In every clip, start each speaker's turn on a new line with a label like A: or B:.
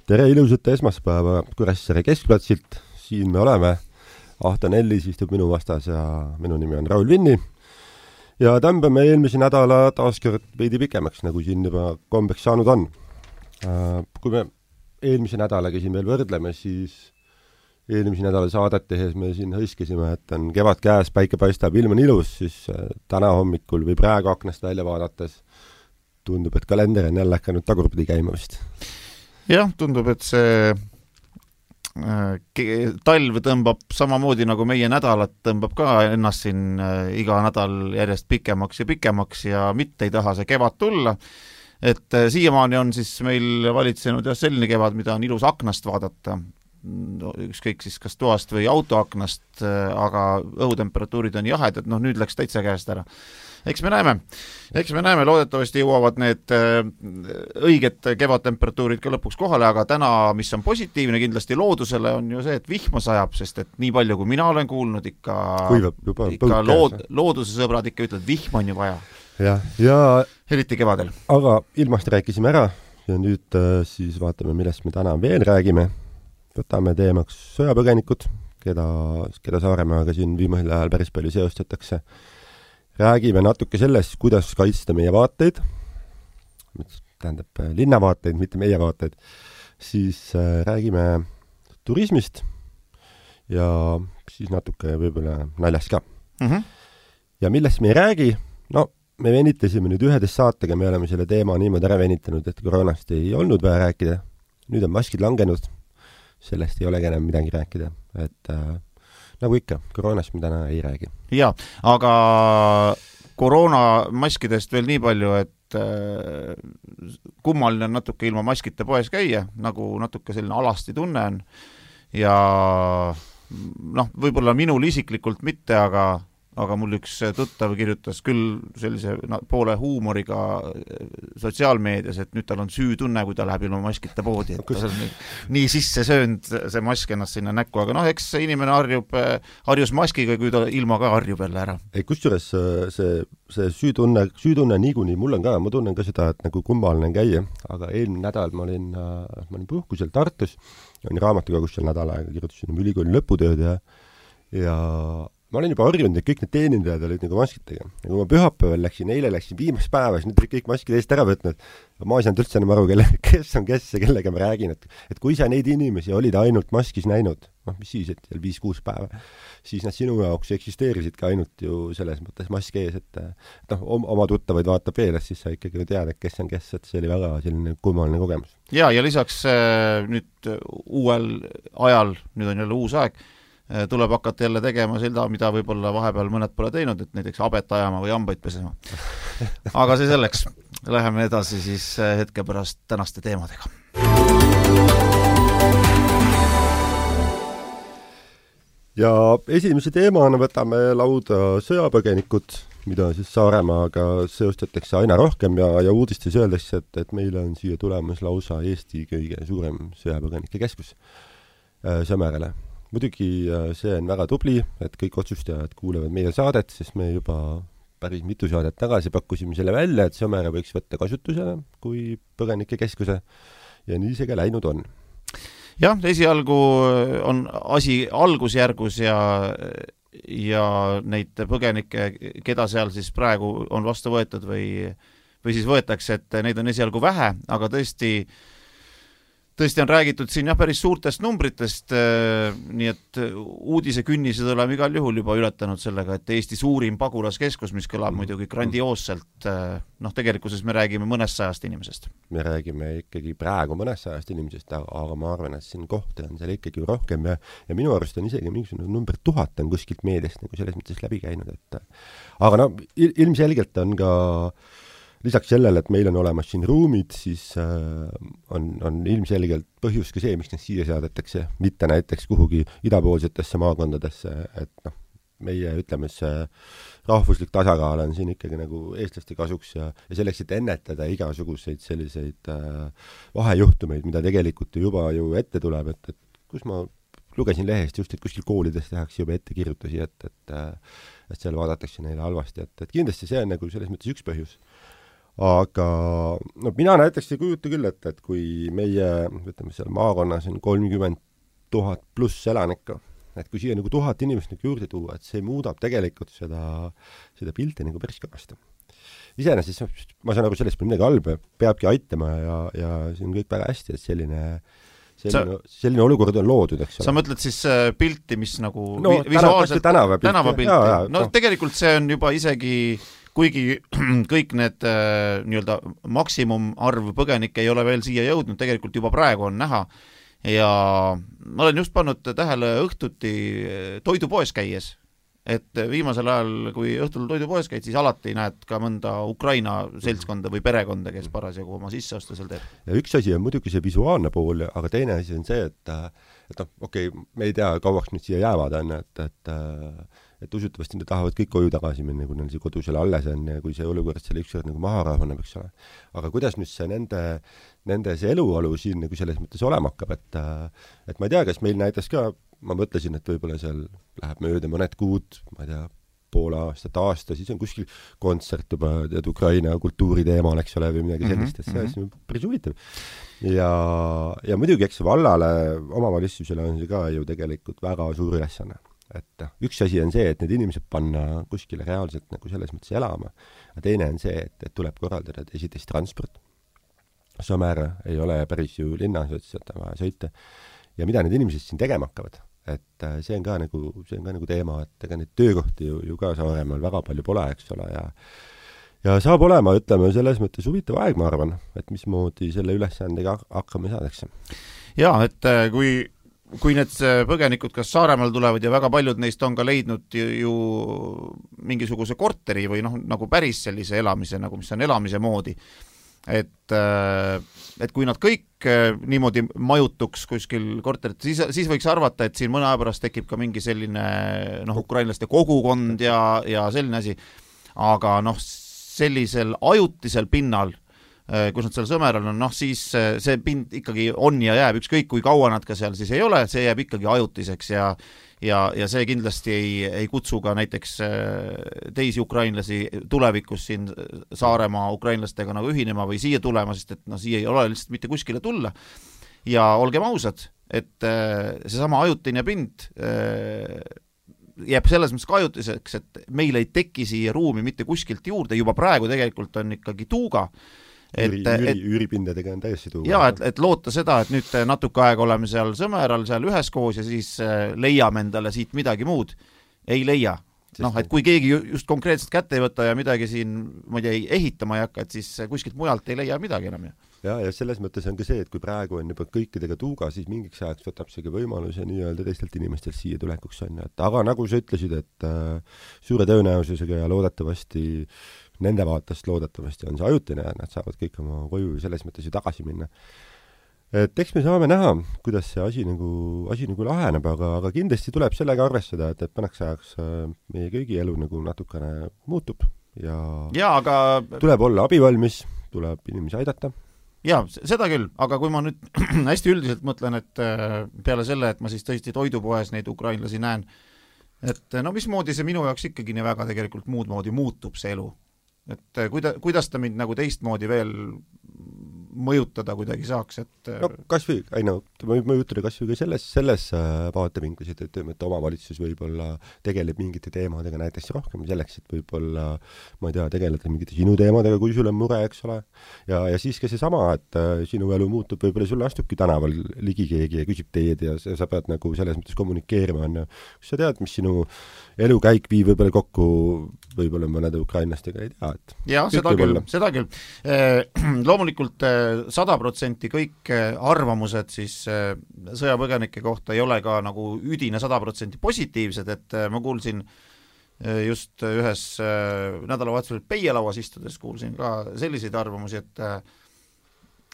A: Tere ilusat esmaspäeva Kuressaare keskplatsilt, siin me oleme. Ahto Nellis istub minu vastas ja minu nimi on Raul Vinni. Ja tõmbame eelmise nädala taaskord veidi pikemaks, nagu siin juba kombeks saanud on. Kui me eelmise nädalaga siin veel võrdleme, siis eelmise nädala saadet tehes me siin hõiskesime, et on kevad käes, päike paistab, ilm on ilus, siis täna hommikul või praegu aknast välja vaadates tundub, et kalender on jälle hakanud tagurpidi käima vist.
B: Jah, tundub, et see talv tõmbab samamoodi nagu meie nädalat, tõmbab ka ennast siin iga nädal järjest pikemaks ja mitte ei taha see kevad tulla. Et siiamaani on siis meil valitsenud selline kevad, mida on ilus aknast vaadata, ükskõik siis kas toast või autoaknast, aga õhutemperatuurid on jahedad, nüüd läks täitsa käest ära. Eks me näeme, loodetavasti jõuavad need õiged kevadtemperatuurid ka lõpuks kohale, aga täna, mis on positiivne kindlasti loodusele, on ju see, et vihma sajab, sest et nii palju, kui mina olen kuulnud, ikka looduse sõbrad ikka ütlevad, vihma on ju vaja.
A: Ja
B: eriti kevadel.
A: Aga ilmast rääkisime ära ja nüüd siis vaatame, millest me täna veel räägime. Võtame teemaks sõjapõgenikud, keda Saaremaaga siin viimasel ajal päris palju seostatakse. Räägime natuke sellest, kuidas kaitsta meie vaateid, tähendab linnavaateid, mitte meie vaateid, siis räägime turismist ja siis natuke võib-olla naljast ka. Ja millest me ei räägi, me venitasime nüüd 11 saatega, me oleme selle teema niimoodi ära venitanud, et koroonast ei olnud vaja rääkida, nüüd on maskid langenud, sellest ei olegi enam midagi rääkida, et nagu ikka, koroonast me täna ei räägi.
B: Ja, aga koroonamaskidest veel nii palju, et kummaline on natuke ilma maskita poes käia, nagu natuke selline alasti tunne on. Ja võib-olla minul isiklikult mitte, aga mul üks tuttav kirjutas küll sellise poole huumoriga sotsiaalmeedias, et nüüd tal on süütunne, kui ta läheb ilma maskita poodi. Et nii sisse söönud see mask ennast sinna näkku, aga eks see inimene harjus maskiga, kui ta ilma ka harjub jälle ära.
A: Kusjuures see süütunne niikuinii, mul on ka, ma tunnen ka seda, et nagu kummaline käia, aga eelmine nädal ma olin puhkusel Tartus, olin raamatukogus seal nädal aega, kirjutasin ülikooli lõputööd ja ma olin juba harjunud, et kõik need teenindajad olid nagu maskitega. Ja kui ma pühapäeval eile läksin viimast päeva, siis nüüd olid kõik maskid eest ära võtnud. Ma ei saanud üldse enam aru, kes on kes ja kellega ma räägin. Et kui sa neid inimesi olid ainult maskis näinud, mis siis, et 5-6 päeva, siis nad sinu jaoks eksisteerisid ka ainult ju selles mõttes maski ees, et oma tuttavaid vaatab eeles, siis sa ikkagi tead, et kes on kes, et see oli väga selline kummaline kogemus.
B: Ja lisaks nüüd uuel ajal, nüüd on jälle uus aeg, tuleb hakata jälle tegema seda, mida võib-olla vahepeal mõned pole teinud, et näiteks habet ajama või hambaid pesema. Aga see selleks. Läheme edasi siis hetke pärast tänaste teemadega.
A: Ja esimese teemana võtame lauda sõjapõgenikud, mida siis Saaremaaga seostatakse aina rohkem ja uudistes öeldakse, et meile on siia tulemas lausa Eesti kõige suurem sõjapõgenike keskus Sõmerele. Muidugi see on väga tubli, et kõik otsustajad kuulevad meie saadet, sest me juba päris mitu saadet tagasi pakkusime selle välja, et Sõmere võiks võtta kasutusele kui põgenike keskuse ja nii see ka läinud on.
B: Jah, esialgu on asi algusjärgus ja neid põgenikke, keda seal siis praegu on vastu võetud või siis võetakse, et neid on esialgu vähe, aga tõesti on räägitud siin päris suurtest numbritest, nii et uudise künnised oleme igal juhul juba ületanud sellega, et Eesti suurim pagulaskeskus, mis kõlab muidugi grandioosselt, tegelikkuses me räägime mõnest sajast inimesest.
A: Me räägime ikkagi praegu mõnest sajast inimesest, aga ma arvan, et siin kohta on seal ikkagi rohkem ja minu arust on isegi mingisugune number 1000 on kuskilt meediast nagu selles mõttes läbi käinud, aga ilmselgelt on ka lisaks sellele, et meil on olemas siin ruumid, siis on ilmselgelt põhjus ka see, miks need siia saadetakse, mitte näiteks kuhugi idapoolsetesse maakondadesse, et meie, ütleme, see rahvuslik tasakaal on siin ikkagi nagu eestlaste kasuks ja selleks, et ennetada igasuguseid selliseid vahejuhtumeid, mida tegelikult juba ju ette tuleb, et kus ma lugesin lehest just, et kuskil koolides tehakse juba ettekirjutusi, et seal vaadatakse neile halvasti, et kindlasti see on nagu selles mõttes üks põhjus. aga no mina näiteks ei kujuta küll, et kui meie, ütleme seal maakonnas on 30 000 pluss elanikku, et kui siia nagu 1000 inimest nagu juurde tuua, et see muudab tegelikult seda pilti nagu päris kõvasti. Iseenesest ma saan aru, sellest pole midagi halba, peabki aitama ja see on kõik väga hästi, et selline olukord on loodud, eks ole.
B: Sa mõtled siis pilti, mis nagu
A: visuaalselt
B: tänavapilti. No tegelikult see on juba isegi, kuigi kõik need nii-öelda maksimumarv põgenikke ei ole veel siia jõudnud, tegelikult juba praegu on näha. Ja ma olen just pannud tähele õhtuti toidupoes käies, et viimasel ajal, kui õhtul toidupoes käid, siis alati näed ka mõnda Ukraina seltskonda või perekonda, kes parasjagu oma sisseostu seal teeb.
A: Ja üks asi on muidugi see visuaalne pool, aga teine asi on see, et okei, me ei tea, kauaks nüüd siia jäävad, et usutavasti nad tahavad kõik koju tagasi minna, kui neil see kodu seal alles on ja kui see olukord selle ükskord nagu maha rahuneb, eks ole. Aga kuidas nüüd see nende see eluolu siin nagu selles mõttes olema hakkab, et ma ei tea, kas meil näiteks ka, ma mõtlesin, et võib-olla seal läheb mööda mõned kuud, ma ei tea, poole aasta, siis on kuskil kontsert juba Ukraina kultuuriteemal, eks ole, või midagi sellist, et see on päris huvitav. Ja muidugi, eks vallale, omavalitsusele on see ka ju tegelikult väga suur ülesanne. Et üks asi on see, et need inimesed panna kuskile reaalselt nagu selles mõttes elama, ja teine on see, et tuleb korraldada esiteks transport. Sõmere ei ole päris ju linnas, et vaja sõita. Ja mida need inimesed siin tegema hakkavad? Et see on ka nagu teema, et ega neid töökohti ju ka Saaremaal väga palju pole, eks ole, ja saab olema, ütleme, selles mõttes huvitav aeg, ma arvan, et mismoodi selle ülesandega hakkame saadakse.
B: Ja, et kui need põgenikud kas Saaremaal tulevad ja väga paljud neist on ka leidnud ju mingisuguse korteri või nagu päris sellise elamise, nagu mis on elamise moodi, et kui nad kõik niimoodi majutuks kuskil korterit, siis võiks arvata, et siin mõne aja pärast tekib ka mingi selline ukrainlaste kogukond ja selline asi, aga sellisel ajutisel pinnal, kus nad seal Sõmeral on, siis see pind ikkagi on ja jääb, ükskõik kui kaua nad ka seal siis ei ole, see jääb ikkagi ajutiseks ja see kindlasti ei kutsu ka näiteks teisi ukrainlasi tulevikus siin Saaremaa ukrainlastega nagu ühinema või siia tulema, sest et siia ei ole lihtsalt mitte kuskile tulla. Ja olgem ausad, et seesama ajutine pind jääb selles mõttes ka ajutiseks, et meil ei teki siia ruumi mitte kuskilt juurde, juba praegu tegelikult on ikkagi tuuga.
A: Üüripindadega on täiesti tuua.
B: Jaa, et loota seda, et nüüd natuke aega oleme seal Sõmeral, seal üheskoos ja siis leiame endale siit midagi muud. Ei leia. Et kui keegi just konkreetselt kätte ei võta ja midagi siin, ma ei tea, ehitama ei hakka, et siis kuskilt mujalt ei leia midagi enam.
A: Ja selles mõttes on ka see, et kui praegu on juba kõikidega tuuga, siis mingiks ajaks võtab see ka võimaluse nii-öelda teistelt inimestelt siia tulekuks on. Aga nagu sa ütlesid, et suure tõenäosusega ja loodetavasti nende vaatest loodetavasti on see ajutine ja nad saavad kõik oma koju selles mõttes ju tagasi minna. Et eks me saame näha, kuidas see asi nagu laheneb, aga kindlasti tuleb sellega arvestada, et pannaks ajaks meie kõigi elu nagu natukene muutub ja
B: aga
A: tuleb olla abivalmis, tuleb inimesi aidata.
B: Jaa, seda küll, aga kui ma nüüd hästi üldiselt mõtlen, et peale selle, et ma siis tõesti toidupoes neid ukrainlasi näen, et mismoodi see minu jaoks ikkagi nii väga tegelikult muud moodi muutub see elu. Et kuidas ta mind nagu teistmoodi veel mõjutada kuidagi saaks, et
A: kas või, mõjutada kas või ka selles vaatevinklis, et omavalitsus võib-olla tegeleb mingite teemadega näiteks rohkem selleks, et võib-olla, ma ei tea, tegeleda mingite sinu teemadega, kui sul on mure, eks ole. Ja siis ka seesama, et sinu elu muutub, võib-olla sulle astubki tänaval ligi keegi ja küsib teed ja sa pead nagu selles mõttes kommunikeerima. Kus sa tead, mis sinu elukäik viib võib-olla kokku võib-olla mõnede ukrainlastega, ei tea.
B: Jah, seda küll. Loomulikult 100% kõik arvamused siis sõjapõgenike kohta ei ole ka nagu üdine 100% positiivsed, et ma kuulsin just ühes nädalavahetusel peielauas istudes kuulsin ka selliseid arvamusi,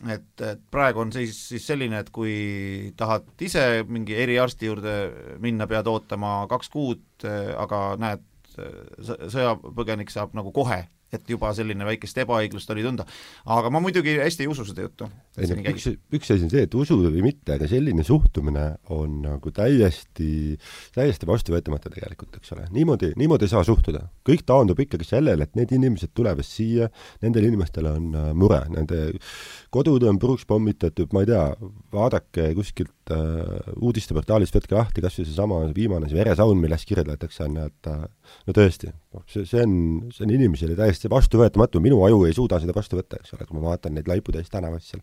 B: et praegu on siis selline, et kui tahad ise mingi eriarsti juurde minna, pead ootama 2 kuud, aga näed, sõjapõgenik saab nagu kohe et juba selline väikest ebaõiglust oli tunda. Aga ma muidugi hästi ei usu seda juttu.
A: Üks asi on see, et usuda või mitte, aga selline suhtumine on nagu täiesti vastuvõetamata tegelikult, eks ole. Niimoodi ei saa suhtuda. Kõik taandub ikkagi sellele, et need inimesed tulevad siia, nendel inimestel on mure, nende kodud on puruks pommitatud, ma ei tea, vaadake kuskilt uudisteportaalist, võtke lahti, kas või see viimane veresaun, milles kirjeldatakse, et no tõesti, see on inimesele täiesti vastuvõetamatu, minu aju ei suuda seda vastu võtta, eks ole, kui ma vaatan neid laiputäis tänavas seal.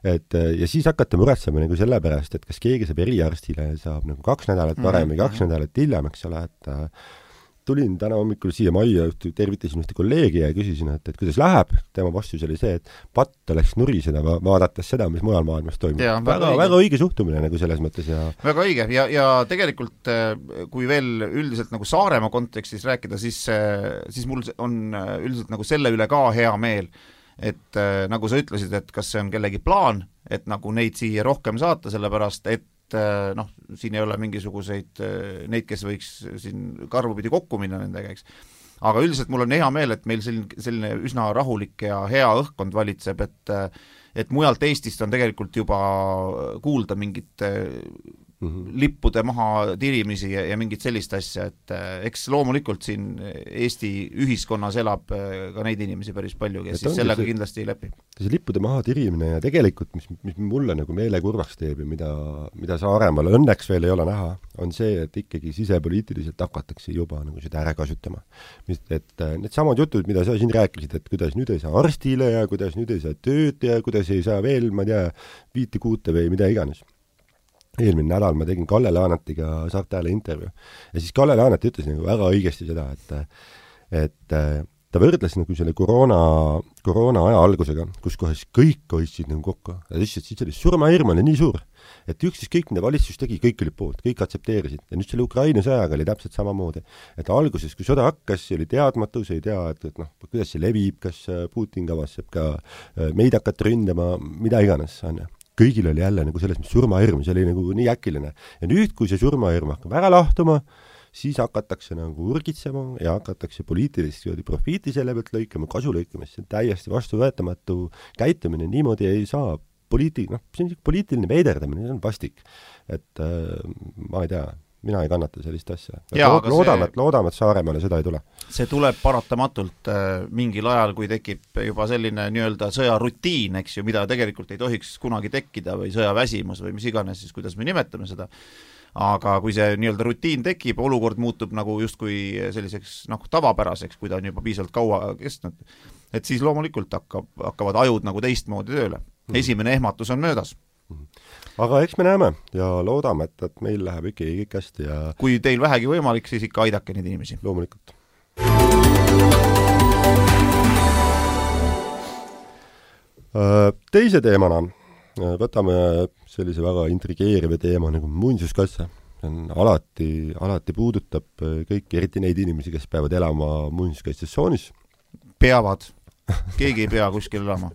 A: Ja siis hakata muretsema nagu selle pärast, et kas keegi saab eriarstile, saab nagu 2 nädalat varem või 2 nädalat hiljem, eks ole, et tulin täna hommikul siia majja, tervitasin ühte kolleegi ja küsisin, et kuidas läheb. Tema vastus oli see, et patt oleks nuriseda vaadates seda, mis mujal maailmas toimub. Väga õige suhtumine nagu selles mõttes. Ja
B: väga õige ja tegelikult kui veel üldiselt nagu Saaremaa kontekstis rääkida, siis mul on üldiselt nagu selle üle ka hea meel, et nagu sa ütlesid, et kas see on kellegi plaan, et nagu neid siia rohkem saata, sellepärast et siin ei ole mingisuguseid neid, kes võiks siin karvupidi kokku minna nendega, eks. Aga üldiselt mul on hea meel, et meil selline üsna rahulik ja hea õhkkond valitseb, et mujalt Eestist on tegelikult juba kuulda mingit lippude maha tirimisi ja mingit sellist asja, et eks loomulikult siin Eesti ühiskonnas elab ka neid inimesi päris palju, kes siis sellega kindlasti ei läpi.
A: See lippude maha tirimine ja tegelikult, mis mulle nagu meele kurvaks teeb ja mida Saaremaal õnneks veel ei ole näha, on see, et ikkagi sisepoliitiliselt hakatakse juba nagu seda ära kasutama. Et need samad jutud, mida sa siin rääkisid, et kuidas nüüd ei saa arstile ja kuidas nüüd ei saa tööd ja kuidas ei saa veel, ma ei tea, 5 kuute või mida iganes. Eelmine nädal ma tegin Kalle Laanetiga Saarte Hääle intervjuu ja siis Kalle Laanet ütles nagu väga õigesti seda, et ta võrdles nagu selle koroona aja algusega, kus kohas kõik hoidsid nagu kokku. Ja siis oli surmahirm oli nii suur, et kõik, mida valitsus tegi, kõik oli poolt, kõik aksepteerisid. Ja nüüd selle Ukraina sõjaga oli täpselt samamoodi. Et alguses, kui sõda hakkas, oli teadmatus, ei tea, et kuidas see levib, kas Putin kavatseb ka meid hakata ründama, mida iganes on. Kõigil oli jälle nagu selles surmahirm, see oli nagu nii äkiline. Ja nüüd, kui see surmahirm hakkab ära lahtuma, siis hakatakse nagu urgitsema ja hakatakse poliitilist profiiti selle pealt lõikama, kasu lõikama, see on täiesti vastuvõetamatu käitumine, niimoodi ei saa see on poliitiline veiderdamine, see on vastik. Et ma ei tea, mina ei kannata sellist asja. Loodame, et Saaremaale seda ei tule.
B: See tuleb paratamatult mingil ajal, kui tekib juba selline nii-öelda sõjarutiin, eks ju, mida tegelikult ei tohiks kunagi tekkida või sõjaväsimus või mis iganes, siis kuidas me nimetame seda. Aga kui see nii-öelda rutiin tekib, olukord muutub nagu justkui selliseks tavapäraseks, kui ta on juba piisavalt kaua kestnud, et siis loomulikult hakkavad ajud nagu teistmoodi tööle. Esimene ehmatus on möödas.
A: Aga eks me näeme ja loodame, et meil läheb ikkagi kõik hästi ja
B: kui teil vähegi võimalik, siis ikka aidake neid inimesi.
A: Loomulikult. Teise teemana võtame sellise väga intrigeeriva teema nagu muinsuskaitse. Alati puudutab kõik, eriti neid inimesi, kes peavad elama muinsuskaitsesoonis.
B: Peavad. Keegi ei pea kuskil elama.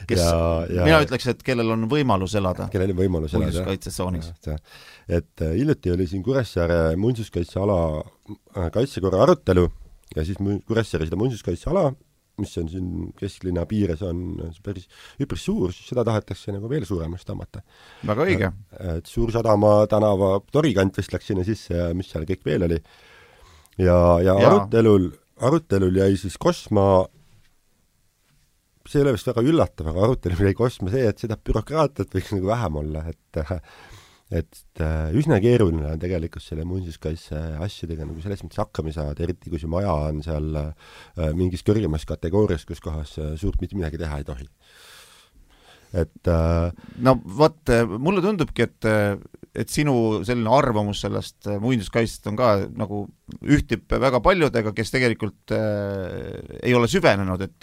B: Mina ütleks, et kellel on võimalus elada muinsuskaitsesoonis.
A: Et hiljuti oli siin Kuressaare muinsuskaitseala kaitsekorra arutelu ja siis Kuressaare seda muinsuskaitseala, mis on siin kesklinna piires, on päris üpris suur, siis seda tahetakse nagu veel suuremast tõmmata.
B: Väga õige.
A: Et Suursadama tänava torikant vist läks sinna sisse ja mis seal kõik veel oli. Ja arutelul jäi siis kosma see ei ole vist väga üllatav, aga arutelu jäi kosma see, et seda bürokraatiat võiks nagu vähem olla, et üsna keeruline on tegelikult selle muinsuskaitse asjadega nagu selles mõttes hakkama saada, eriti kui see maja on seal mingis kõrgemas kategoorias, kus kohas suurt mitte midagi teha ei tohi.
B: No vot, mulle tundubki, et sinu selline arvamus sellest muinsuskaitsest on ka nagu ühtib väga paljudega, kes tegelikult ei ole süvenenud, et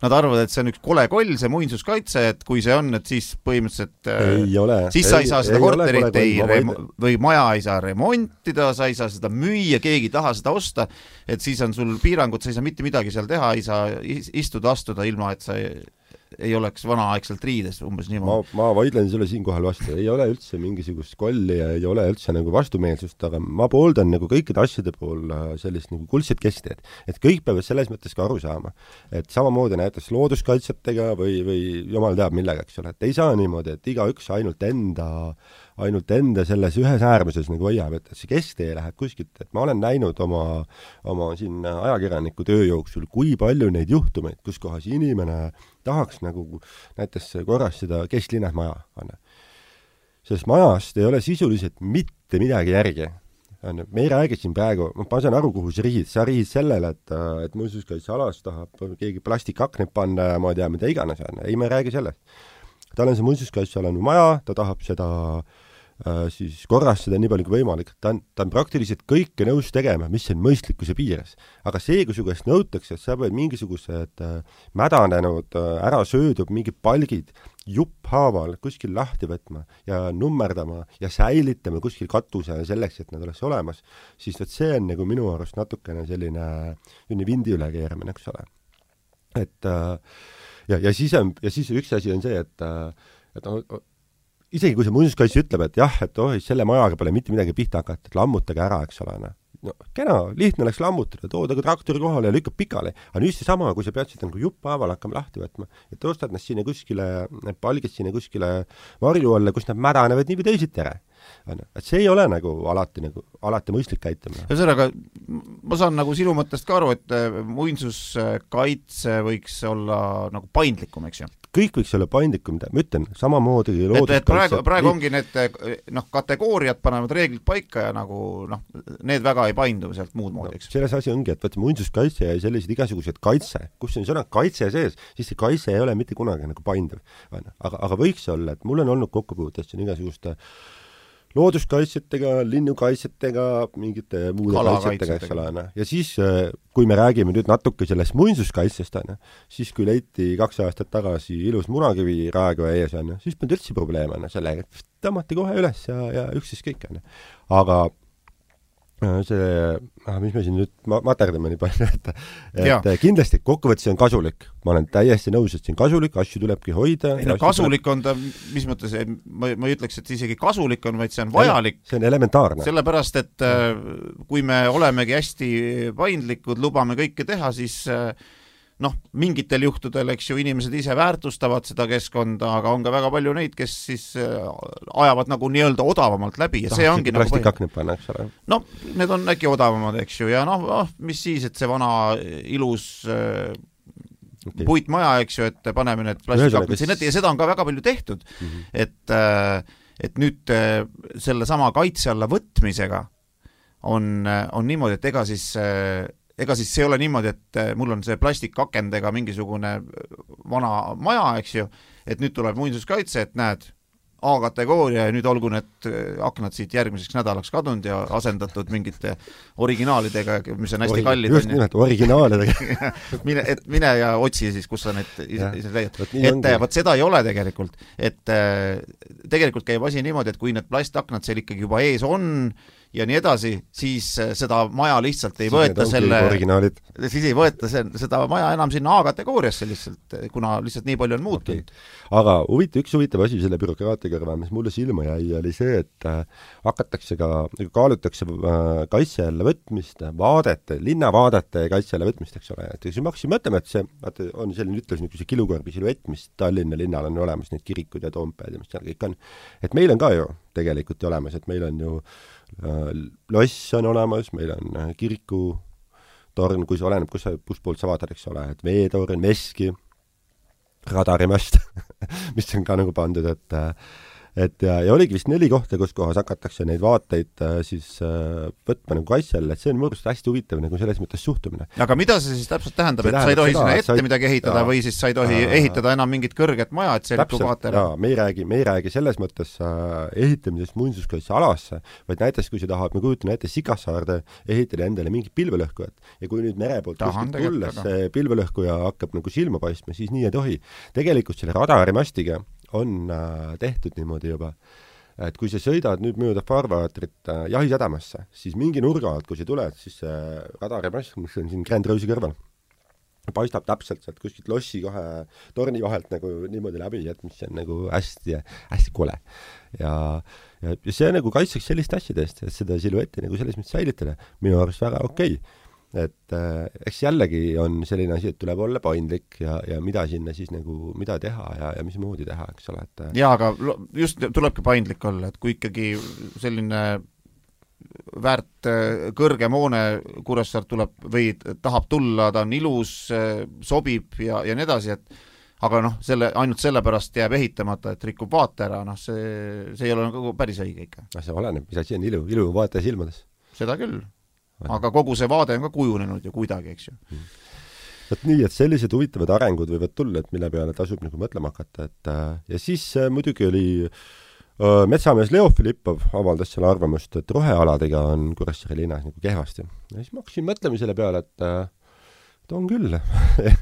B: nad arvavad, et see on üks kole koll, see muinsuskaitse, et kui see on, et siis põhimõtteliselt siis sa ei saa seda korterit või maja ei saa remontida, sa ei saa seda müüa, keegi ei taha seda osta, et siis on sul piirangud, sa ei saa mitte midagi seal teha, ei saa istuda, astuda ilma, et sa ei oleks vanaaegselt riides umbes niimoodi.
A: Ma vaidlen selle siinkohal vastu, ei ole üldse mingisugust kolli ja ei ole üldse nagu vastumeelsust, aga ma pooldan nagu kõikide asjade pool sellist nagu kuldset kesteed, et kõik peavad selles mõttes ka aru saama, et samamoodi näiteks looduskaitsetega või jumal teab millega, eks ole, et ei saa niimoodi, et igaüks ainult enda selles ühes äärmuses nagu hoiab, et see kesktee läheb kuskilt, et ma olen näinud oma siin ajakirjaniku töö jooksul, kui palju neid juhtumeid, kus kohas inimene tahaks nagu näiteks korrastada kesklinnas maja. Sest majast ei ole sisuliselt mitte midagi järgi. Me ei räägi siin praegu, ma saan aru, kuhu sa rihid sellele, et muinsuskaitsealas tahab keegi plastikakneid panna ja ma ei tea, mida iganes. Ei, me ei räägi sellest. Tal on see muinsuskaitsealane maja, ta tahab seda siis korrastada nii palju kui võimalik. Ta on praktiliselt kõike nõus tegema, mis on mõistlikkuse piires. Aga see, kui su käest nõutakse, et sa pead mingisugused mädanenud, ära söödub mingid palgid jupphaaval kuskil lahti võtma ja nummerdama ja säilitama kuskil katuse selleks, et nad oleks olemas, siis see on nagu minu arust natukene selline vindi üle keeramine, eks ole. Et ja siis üks asi on see, et isegi kui see muinsuskaitse ütleb, et jah, et selle majaga pole mitte midagi pihta hakata, et lammutage ära, eks ole. No, kena, lihtne oleks lammutada, tooda ka traktori kohale ja lükkab pikali. Aga nüüd see sama, kui sa pead seda nagu jupphaaval hakkama lahti võtma, et tõstad nad sinna kuskile, palgid sinna kuskile varju alla, kus nad mädanevad nii või teisiti ära. Et see ei ole nagu alati mõistlik käitumine.
B: Ühesõnaga, ma saan nagu sinu mõttest ka aru, et muinsuskaitse võiks olla nagu paindlikum, eks ju?
A: Kõik võiks olla paindlikum, ma ütlen, samamoodi
B: praegu ongi need kategooriad panevad reeglid paika ja nagu need väga ei paindu sealt muud moodi, eks.
A: Selles asi ongi, et muinsuskaitse ja sellised igasugused kaitse, kus on sõna kaitse sees, siis see kaitse ei ole mitte kunagi nagu painduv. Aga võiks olla, et mul on olnud kokkupuutest igasuguste looduskaitsetega, linnukaitsetega, mingite muude kaitsetega, eks ole. Ja siis, kui me räägime nüüd natuke sellest muinsuskaitsest, siis kui leiti 2 aastat tagasi ilus munakivi Raekoja ees, siis polnud üldse probleem sellega, et tõmmati kohe üles ja üksis kõik. Aga mis me siin nüüd materdame nii palju, et kindlasti kokkuvõttes on kasulik. Ma olen täiesti nõus, et see on kasulik, asju tulebki hoida.
B: Kasulik on ta, mis mõttes, ma ei ütleks, et isegi kasulik on, vaid see on vajalik.
A: See on elementaarne.
B: Sellepärast, et kui me olemegi hästi paindlikud, lubame kõike teha, siis mingitel juhtudel, eks ju, inimesed ise väärtustavad seda keskkonda, aga on ka väga palju neid, kes siis ajavad nagu nii-öelda odavamalt läbi ja see ongi nagu
A: panna, eks ole.
B: Need on äkki odavamad, eks ju, ja mis siis, et see vana ilus puitmaja, eks ju, et paneme need plastikaknid sinna ja seda on ka väga palju tehtud, et nüüd selle sama kaitse alla võtmisega on niimoodi, et ega siis see ei ole niimoodi, et mul on see plastikakendega mingisugune vana maja, eks ju, et nüüd tuleb muinsuskaitse, et näed, A-kategooria ja nüüd olgu need aknad siit järgmiseks nädalaks kadunud ja asendatud mingite originaalidega, mis on hästi kallid.
A: Just nimelt, originaalidega.
B: mine ja otsi siis, kus sa need ise leiad. Et seda ei ole tegelikult. Et tegelikult käib asi niimoodi, et kui need plastaknad seal ikkagi juba ees on ja nii edasi, siis seda maja lihtsalt ei võeta siis ei võeta seda maja enam sinna A-kategooriasse lihtsalt, kuna lihtsalt nii palju on muutunud.
A: Aga üks huvitav asi selle bürokraatia kõrval, mis mulle silma jäi, oli see, et kaalutakse kaitse alla võtmist, linnavaadete kaitse alla võtmist, eks ole. Et kui me hakkasime mõtlema, et see on selline ütlus niisuguse kilukorbi siluett, mis Tallinna linnal on olemas, need kirikud ja toompead ja mis seal kõik on. Et meil on ka ju tegelikult olemas, et meil on ju loss on olemas, meil on kirikutorn, kui see oleneb, kus poolt sa vaatad, eks ole, et veetorn, veski, radarimast, mis on ka nagu pandud, ja oligi vist 4 kohta, kus kohas hakatakse neid vaateid siis võtma nagu kaitse alla, et see on mõrust hästi huvitav nagu selles mõttes suhtumine.
B: Aga mida see siis täpselt tähendab, et sa ei tohi sinna ette midagi ehitada või siis sa ei tohi ehitada enam mingit kõrget maja, et see lükku vaatele?
A: Me ei räägi selles mõttes ehitamisest muinsuskaitsealasse, vaid näiteks kui sa tahad, me kujutame ette Sikassaarde ehitada endale mingit pilvelõhkujat ja kui nüüd mere poolt tulles see pilvelõhkuja hakkab nagu silma paistma, siis nii ei tohi. Tegelikult selle radarimastiga on tehtud niimoodi juba, et kui sa sõidad nüüd mööda farvaatrit jahisadamasse, siis mingi nurga alt, kui sa tuled, siis see radarimast, mis on siin Grand Rose'i kõrval, paistab täpselt sealt kuskilt lossi kahe torni vahelt nagu niimoodi läbi, et mis on nagu hästi, hästi kole. Ja see nagu kaitseks sellist asjade eest, et seda siluetti nagu selles mõttes säilitada. Minu arust väga okei. Et eks jällegi on selline asi, et tuleb olla paindlik ja mida sinna siis nagu, mida teha ja mis moodi teha, eks ole.
B: Jaa, aga just tulebki paindlik olla, et kui ikkagi selline väärt kõrgem hoone Kuressaart tuleb või tahab tulla, ta on ilus, sobib ja nii edasi, et aga ainult sellepärast jääb ehitamata, et rikub vaate ära, see ei ole nagu päris õige ikka.
A: See oleneb, mis asi on ilu vaataja silmades.
B: Seda küll. Aga kogu see vaade on ka kujunenud ju kuidagi, eks ju.
A: Et nii, et sellised huvitavad arengud võivad tulla, et mille peale tasub nagu mõtlema hakata. Ja siis muidugi oli metsamees Leo Filippov avaldas selle arvamust, et rohealadega on Kuressaare linnas nagu kehvasti. Ja siis ma hakkasin mõtlema selle peale, et on küll.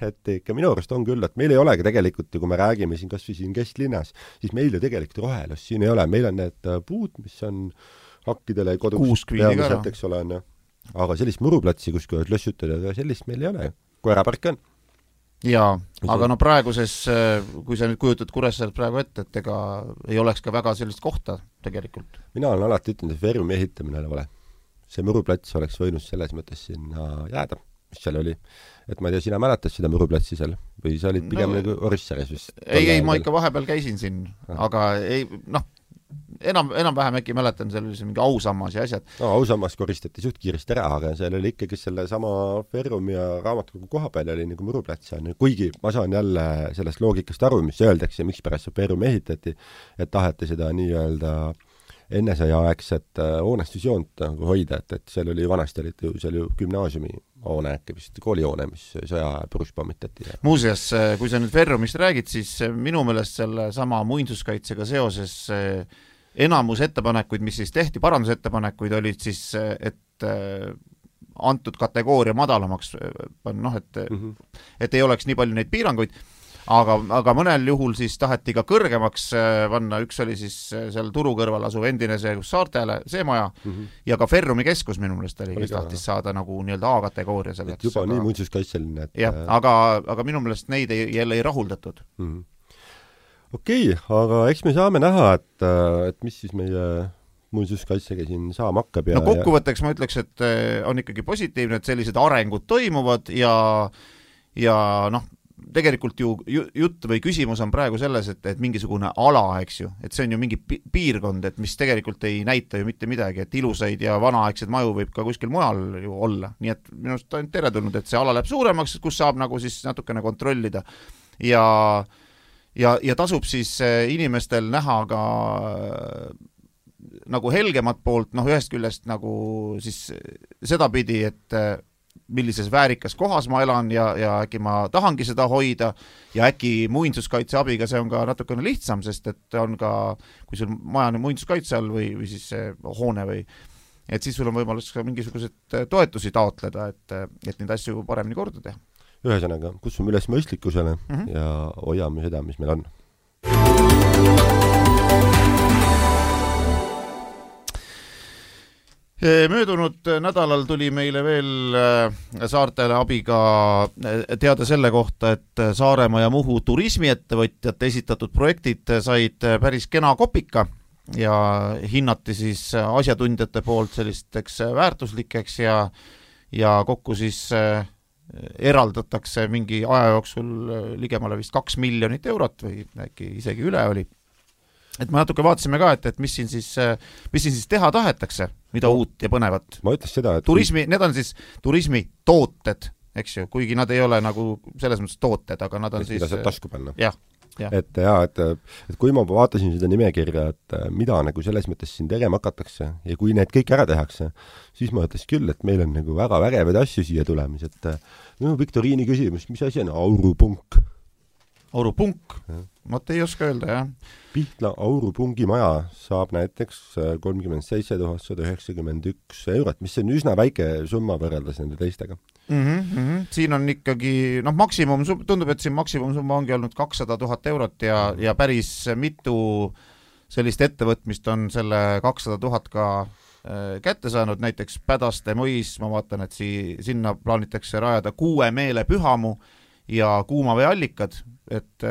A: Et ikka minu arust on küll, et meil ei olegi tegelikult, kui me räägime siin kas või siin kesklinnas, siis meil ju tegelikult rohelust siin ei ole. Meil on need puud, mis on hakkidele kodus peamiselt, eks ole, aga sellist muruplatsi, kus kui lössutada, sellist meil ei ole. Koerapark on.
B: Jaa, aga praeguses, kui sa nüüd kujutad Kuressaart praegu ette, et ega ei oleks ka väga sellist kohta tegelikult.
A: Mina olen alati ütelnud, et Verumi ehitamine ole vale. See muruplats oleks võinud selles mõttes sinna jääda, mis seal oli. Et ma ei tea, sina mäletad seda muruplatsi seal? Või sa olid pigem nagu Orissares vist?
B: Ei, ma ikka vahepeal käisin siin, aga ei, enam vähem äkki mäletan, seal oli mingi ausammas ja asjad.
A: Ausammas koristati suht kiiresti ära, aga seal oli ikkagi selle sama Ferrum ja raamatukogu koha peal oli nagu muruplats. Kuigi ma saan jälle sellest loogikast aru, mis öeldakse, miks pärast see Ferrum ehitati, et taheti seda nii-öelda ennesõjaaegset hoonestusjoont nagu hoida, et seal oli vanasti seal ju gümnaasiumi hoone, äkki vist koolihoone, mis sõja purus pommitati.
B: Muuseas, kui sa nüüd Ferrumist räägid, siis minu meelest selle sama muinsuskaitsega seoses enamus ettepanekuid, mis siis tehti, parandusettepanekuid olid siis, et antud kategooria madalamaks, et ei oleks nii palju neid piiranguid, aga mõnel juhul siis taheti ka kõrgemaks panna, üks oli siis seal turu kõrval asuv endine see Saartele, see maja, ja ka Ferrumi keskus minu meelest oli, kes tahtis saada nagu nii-öelda A-kategooria selleks.
A: Juba nii muinsuskaitseline.
B: Jah, aga minu meelest neid jälle ei rahuldatud.
A: Okei, aga eks me saame näha, et mis siis meie muinsuskaitsega siin saama hakkab.
B: Kokkuvõtteks ma ütleks, et on ikkagi positiivne, et sellised arengud toimuvad ja tegelikult ju jutt või küsimus on praegu selles, et mingisugune ala, eks ju, et see on ju mingi piirkond, et mis tegelikult ei näita ju mitte midagi, et ilusaid ja vanaaegsed maju võib ka kuskil mujal ju olla. Nii et minust on teretulnud, et see ala läheb suuremaks, kus saab nagu siis natukene kontrollida ja tasub siis inimestel näha ka nagu helgemat poolt, ühest küljest nagu siis sedapidi, et millises väärikas kohas ma elan ja äkki ma tahangi seda hoida ja äkki muinsuskaitse abiga see on ka natukene lihtsam, sest et on ka, kui sul maja on muinsuskaitse all või siis hoone või, et siis sul on võimalus ka mingisugused toetusi taotleda, et neid asju paremini korda teha.
A: Ühesõnaga, kutsume üles mõistlikkusele ja hoiame seda, mis meil on.
B: Möödunud nädalal tuli meile veel Saartele abiga teada selle kohta, et Saaremaa ja Muhu turismiettevõtjate esitatud projektid said päris kena kopika ja hinnati siis asjatundjate poolt sellisteks väärtuslikeks ja kokku siis eraldatakse mingi aja jooksul ligemale vist 2 miljonit eurot või äkki isegi üle oli. Et me natuke vaatasime ka, et mis siin siis teha tahetakse, mida uut ja põnevat.
A: Ma ütles seda, et
B: need on siis turismi tooted, eks ju, kuigi nad ei ole nagu selles mõttes tooted, aga nad on siis...
A: Mida saab tasku panna.
B: Jah.
A: Et kui ma vaatasin seda nimekirja, et mida nagu selles mõttes siin tegema hakatakse ja kui need kõik ära tehakse, siis ma ütles küll, et meil on nagu väga vägevaid asju siia tulemis, et Viktoriini küsimus, mis asi on Aurupunk?
B: Aurupunk? Ma ei oska öelda, jah.
A: Pihtla Aurupungi maja saab näiteks 37 191 eurot, mis on üsna väike summa võrreldes nende teistega.
B: Siin on ikkagi, maksimum, tundub, et siin maksimumsumma ongi olnud 200 000 eurot ja päris mitu sellist ettevõtmist on selle 200 000 ka kätte saanud, näiteks Pädaste mõis, ma vaatan, et sinna plaanitakse rajada 6 meelepühamu ja kuumaveeallikad, et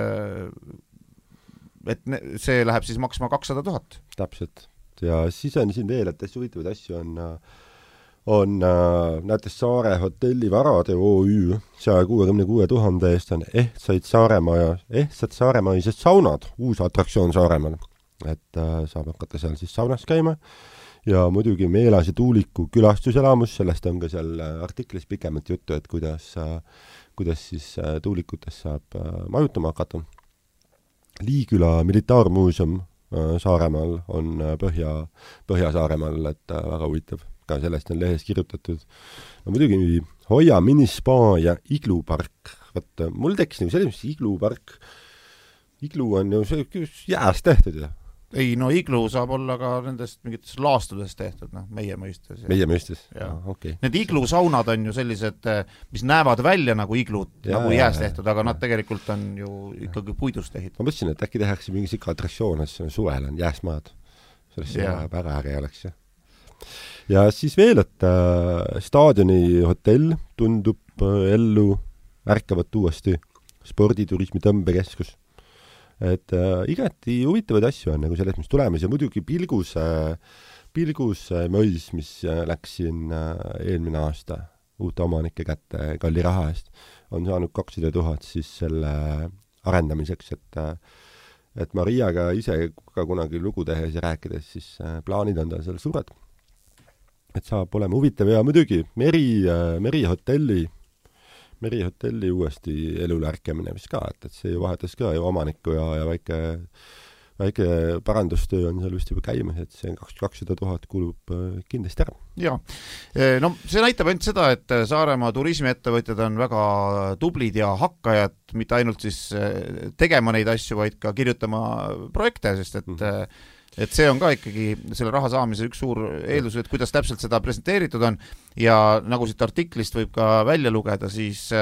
B: see läheb siis maksma 200 000.
A: Täpselt. Ja siis on siin veel, et hästi huvitavaid asju on näiteks Saare hotelli Varade OÜ 166 000 eest on ehtsad saaremaised saunad, uus atraktsioon Saaremaal. Et saab hakata seal siis saunas käima ja muidugi Meelase tuuliku külastuselamus, sellest on ka seal artiklis pikemalt juttu, et kuidas siis tuulikutes saab majutama hakata. Liiküla militaarmuuseum Saaremaal on Põhja-Saaremaal, et väga huvitav. Ka sellest on lehes kirjutatud. No muidugi Hoia minispa ja iglupark. Võt, mul tekkis nagu selles, mis iglupark. Iglu on ju jääst tehtud ja.
B: Ei, no iglu saab olla ka nendest mingitest laastudest tehtud, meie mõistes.
A: Meie mõistes?
B: Okay. Need iglusaunad on ju sellised, mis näevad välja nagu iglud, nagu jääs tehtud, aga nad tegelikult on ju ikkagi puidust ehitatud.
A: Ma mõtlesin, et äkki tehakse mingi sikka atraktsioon, et suvel on jääsmaad. Sellest väga äge oleks. Ja siis veel, et staadioni hotell tundub ellu ärkavat uuesti sporditurismi tõmbekeskus. Et igati huvitavaid asju on nagu selles, mis tulemas ja muidugi Pilguse mõis, mis läks siin eelmine aasta uute omanike kätte kalli raha eest, on saanud 200 000 siis selle arendamiseks, et Mariaga ise ka kunagi lugu tehes ja rääkides, siis plaanid on tal seal suured. Et saab olema huvitav ja muidugi Merihotelli uuesti elule ärkemine vist ka, et see ju vahetas ka ju omanikku ja väike parandustöö on seal vist juba käimas, et see 200 000 kulub kindlasti ära.
B: Ja, no see näitab ainult seda, et Saaremaa turismiettevõtjad on väga tublid ja hakkajad, mitte ainult siis tegema neid asju, vaid ka kirjutama projekte, sest et see on ka ikkagi selle raha saamise üks suur eeldus, et kuidas täpselt seda presenteeritud on ja nagu siit artiklist võib ka välja lugeda, siis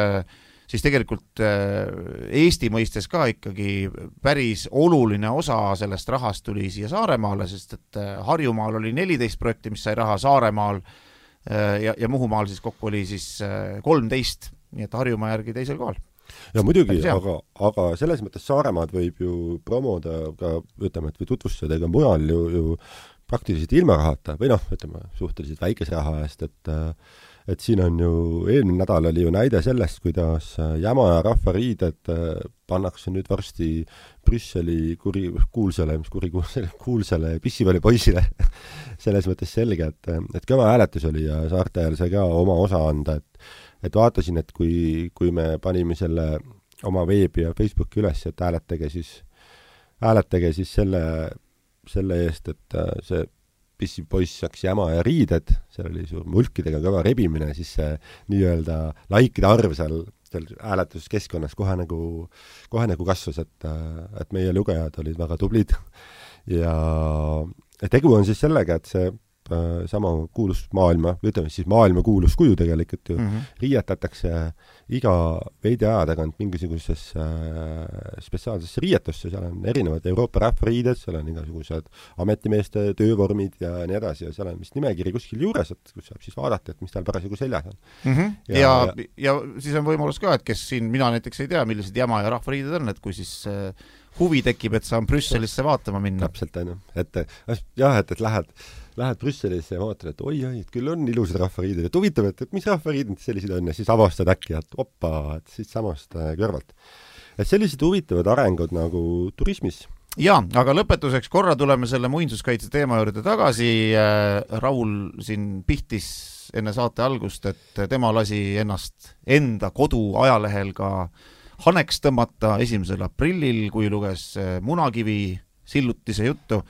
B: tegelikult Eesti mõistes ka ikkagi päris oluline osa sellest rahast tuli siia Saaremaale, sest et Harjumaal oli 14 projekti, mis sai raha, Saaremaal ja Muhumaal siis kokku oli siis 13, nii et Harjumaa järgi teisel kohal.
A: Ja muidugi, aga selles mõttes Saaremaad võib ju promoda ka, ütleme, et või tutvustada ega mujal ju praktiliselt ilma rahata või ütleme, suhteliselt väikese raha eest, et siin on ju, eelmine nädal oli ju näide sellest, kuidas Jämaja rahvariided pannakse nüüd varsti Brüsseli kuulsale pissivalipoisile selles mõttes selge, et kõva hääletus oli ja saartajal sai ka oma osa anda, et vaatasin, et kui me panime selle oma veebi ja Facebooki üles, et hääletage siis selle eest, et see pissipoiss saaks jäma ja riided, seal oli suur mulkidega kõva rebimine, siis see nii-öelda laikide arv seal hääletuskeskkonnas kohe nagu kasvas, et meie lugejad olid väga tublid ja tegu on siis sellega, et see sama kuulus maailma kuulus kuju tegelikult ju riietatakse iga veidi aja tagant mingisugusesse spetsiaalsesse riietusse, seal on erinevad Euroopa rahvariided, seal on igasugused ametimeeste töövormid ja nii edasi ja seal on vist nimekiri kuskil juures, et kus saab siis vaadata, et mis tal parasjagu seljas on.
B: Ja siis on võimalus ka, et kes siin, mina näiteks ei tea, millised jama ja rahvariided on, et kui siis huvi tekib, et saan Brüsselisse vaatama minna.
A: Täpselt, et lähed Brüsselisse ja vaatad, et oi, et küll on ilusad rahvariided, et huvitav, et mis rahvariided sellised on ja siis avastad äkki, et oppa, et siis samast kõrvalt. Et sellised huvitavad arengud nagu turismis.
B: Ja, aga lõpetuseks korra tuleme selle muinsuskaitse teema juurde tagasi. Raul siin pihtis enne saate algust, et tema lasi ennast enda kodu ajalehel ka haneks tõmmata 1. aprillil, kui luges Munakivi sillutise juttu.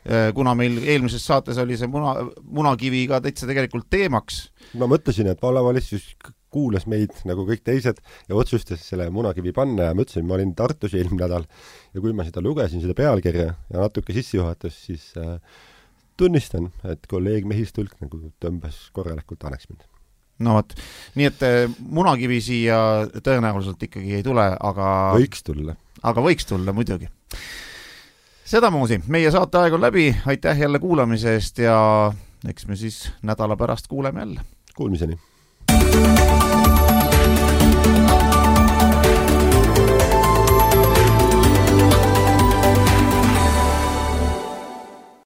B: Kuna meil eelmises saates oli see Munakivi ka täitsa tegelikult teemaks.
A: Ma mõtlesin, et vallavalitsus kuulas meid nagu kõik teised ja otsustas selle Munakivi panna ja mõtlesin, ma olin Tartus eelmine nädal ja kui ma seda lugesin, seda pealkirja ja natuke sissejuhatus, siis tunnistan, et kolleeg Mehistulk nagu tõmbas korralikult haneks mind.
B: No võt, nii et Munakivi siia tõenäoliselt ikkagi ei tule, aga võiks tulla muidugi. Sedamoodi, meie saate aeg on läbi, aitäh jälle kuulamise eest ja eks me siis nädala pärast kuuleme jälle.
A: Kuulmiseni!